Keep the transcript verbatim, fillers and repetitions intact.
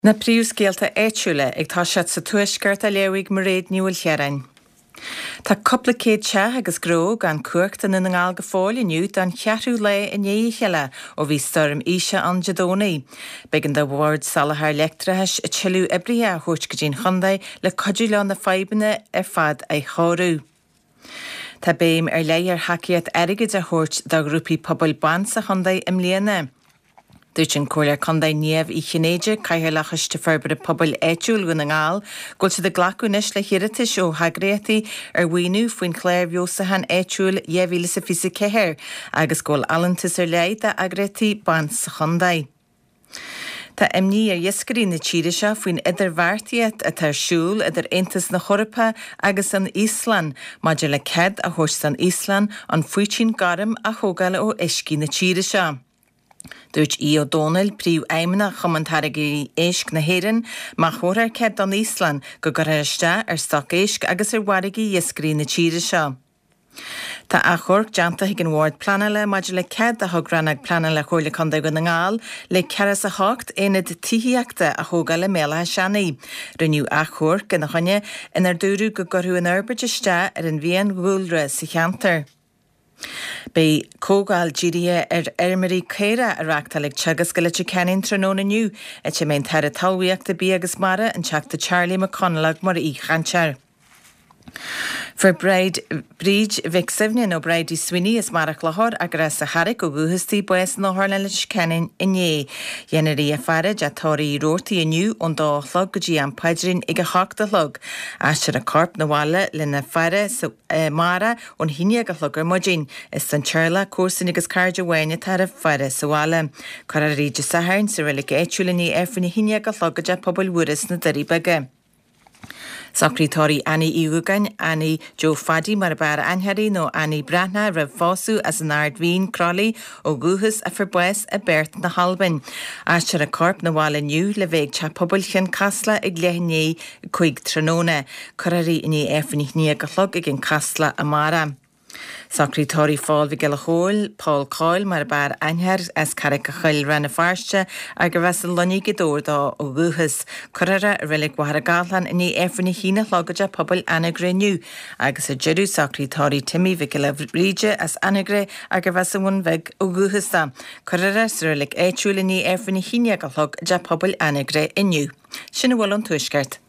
Na príomhscéalta áitiúla ag toiseacht sa Tuaisceart á léamh ag Mairéad Ní Mhaoilchiaráin. Tá cúpla céad teach agus gnó gan cumhacht i nDún na nGall go fóill inniu don cheathrú lá i ndiaidh a chéile ó bhí stoirm Isha ann Dé Domhnaigh. B'éigean do Bhord Soláthair Leictreachais tuilleadh oibrithe a thabhairt go dtí'n chontae le cuidiú leo na fadhbanna ar fad a chóiriú. Tá béim ar leith ar thacaíocht airgid a thabhairt do ghrúpaí pobail ban sa chontae i mbliana. Dúirt an Comhairleoir Contae Niamh Uí Chinnéide, Cathaoirleach Choiste Forbartha Pobail Áitiúil Dhún na nGall, go bhfuil siad ag glacadh anois le hiarratais ó heagraíochtaí ar mhaoiniú faoin chlár feabhsúcháin áitiúil dhá mhíle is a fiche a ceathair agus go bhfuil allúntas ar leith d'eagraíochtaí ban sa chontae. Tá imní ar iascairí na tíre seo faoin idirbheartaíocht atá ar siúl idir Aontas na hEorpa agus an Íoslainn maidir le cead a thabhairt don Íoslainn an faoitín gorm a thógáil ó uiscí na tíre seo. Dúirt Aodh Ó Dónaill, Príomhfheidhmeannach Chumann Táirgeoirí Éisc na hÉireann, má thabharfar cead don Íoslainn go gcuirfear isteach ar stoc éisc agus ar mhargaí iascairí na tíre seo. Tá achomharc déanta ag an Bhord Pleanála maidir le cead a thug Rannóg Pleanála Chomhairle Contae Dhún na nGall le ceathracha is a hocht aonad tithíochta a thógáil i mBéal Átha Seanaidh. Rinneadh achomharc ina choinne inar dúradh go gcuirfeadh an fhorbairt isteach ar an bhfiadhúlra sa cheantar. Beidh comhdháil dírithe ar fheirmeoirí caorach á reáchtáil ag Teagasc i Leitir Ceanainn tráthnóna inniu, áit a mbeidh an tAire Talmhaíochta, Bia agus Mara, an Teachta Charlie McConalogue mar aoichainteoir. Fuair Bríd Bríd Mhic Suibhne nó Bridie Sweeney as Machaire Chlochair arb as an Charraic ó dhúchas di bás in Otharlann Leitir Ceanainn inné. Déanfar í a faire i dTeach Tórraimh Uí Robhartaigh inniu ón dó a chlog go dtí am paidrín ag a hocht a chlog. Aistreofar a corp 'na bhaile lena faire sa amárach ón haon déag a chlog ar maidin. Is don teaghlach, comharsain agus cairde amháin atáthar a faire sa bhaile. Cuirfear í Dé Sathairn sa reilig áitiúil i ndiaidh Aifreann a haon déag a chlog i dTeach Pobail Mhuire sna Doirí Beaga. Socraíodh tórraimh Annie Uí Dhúgáin, Annie Joe Phaddy mar ab fhearr aithne uirthi nó Annie Breathnach roimh phósadh as an Ard Mhín, Croithlí, ó dhúchas a fuair bás i bPerth na hAlbain. Aistreofar a corp 'na bhaile inniu le bheith ag Teach Pobail Chionn Caslach ag leath i ndiaidh a cúig tráthnóna. Cuirfear í i ndiaidh Aifreann a haon déag a chlog ag an Casla amárach. Socraíodh tórraimh Phóil Mhic Giolla Chóill, Paul Coyle mar ab fhearr aithne air as Carraig a' Choill, Rann na Feirste, arb as an Luinnigh Gaoth Dobhair dó ó dhúchas. Cuirfear é i reilig Mhachaire Gathlán i ndiaidh Aifreann a haon a chlog i dTeach Pobail Anagaire inniu. Agus ar deireadh socraíodh tórraimh Timmy Mhic Giolla Bhríde as Anagaire arb as an Bhun Bheag ó dhúchas dó. Cuirfear é sa reilig áitiúil i ndiaidh Aifreann a haon déag a chlog i dTeach Pobail Anagaire inniu. Sin a bhfuil ón Tuaisceart.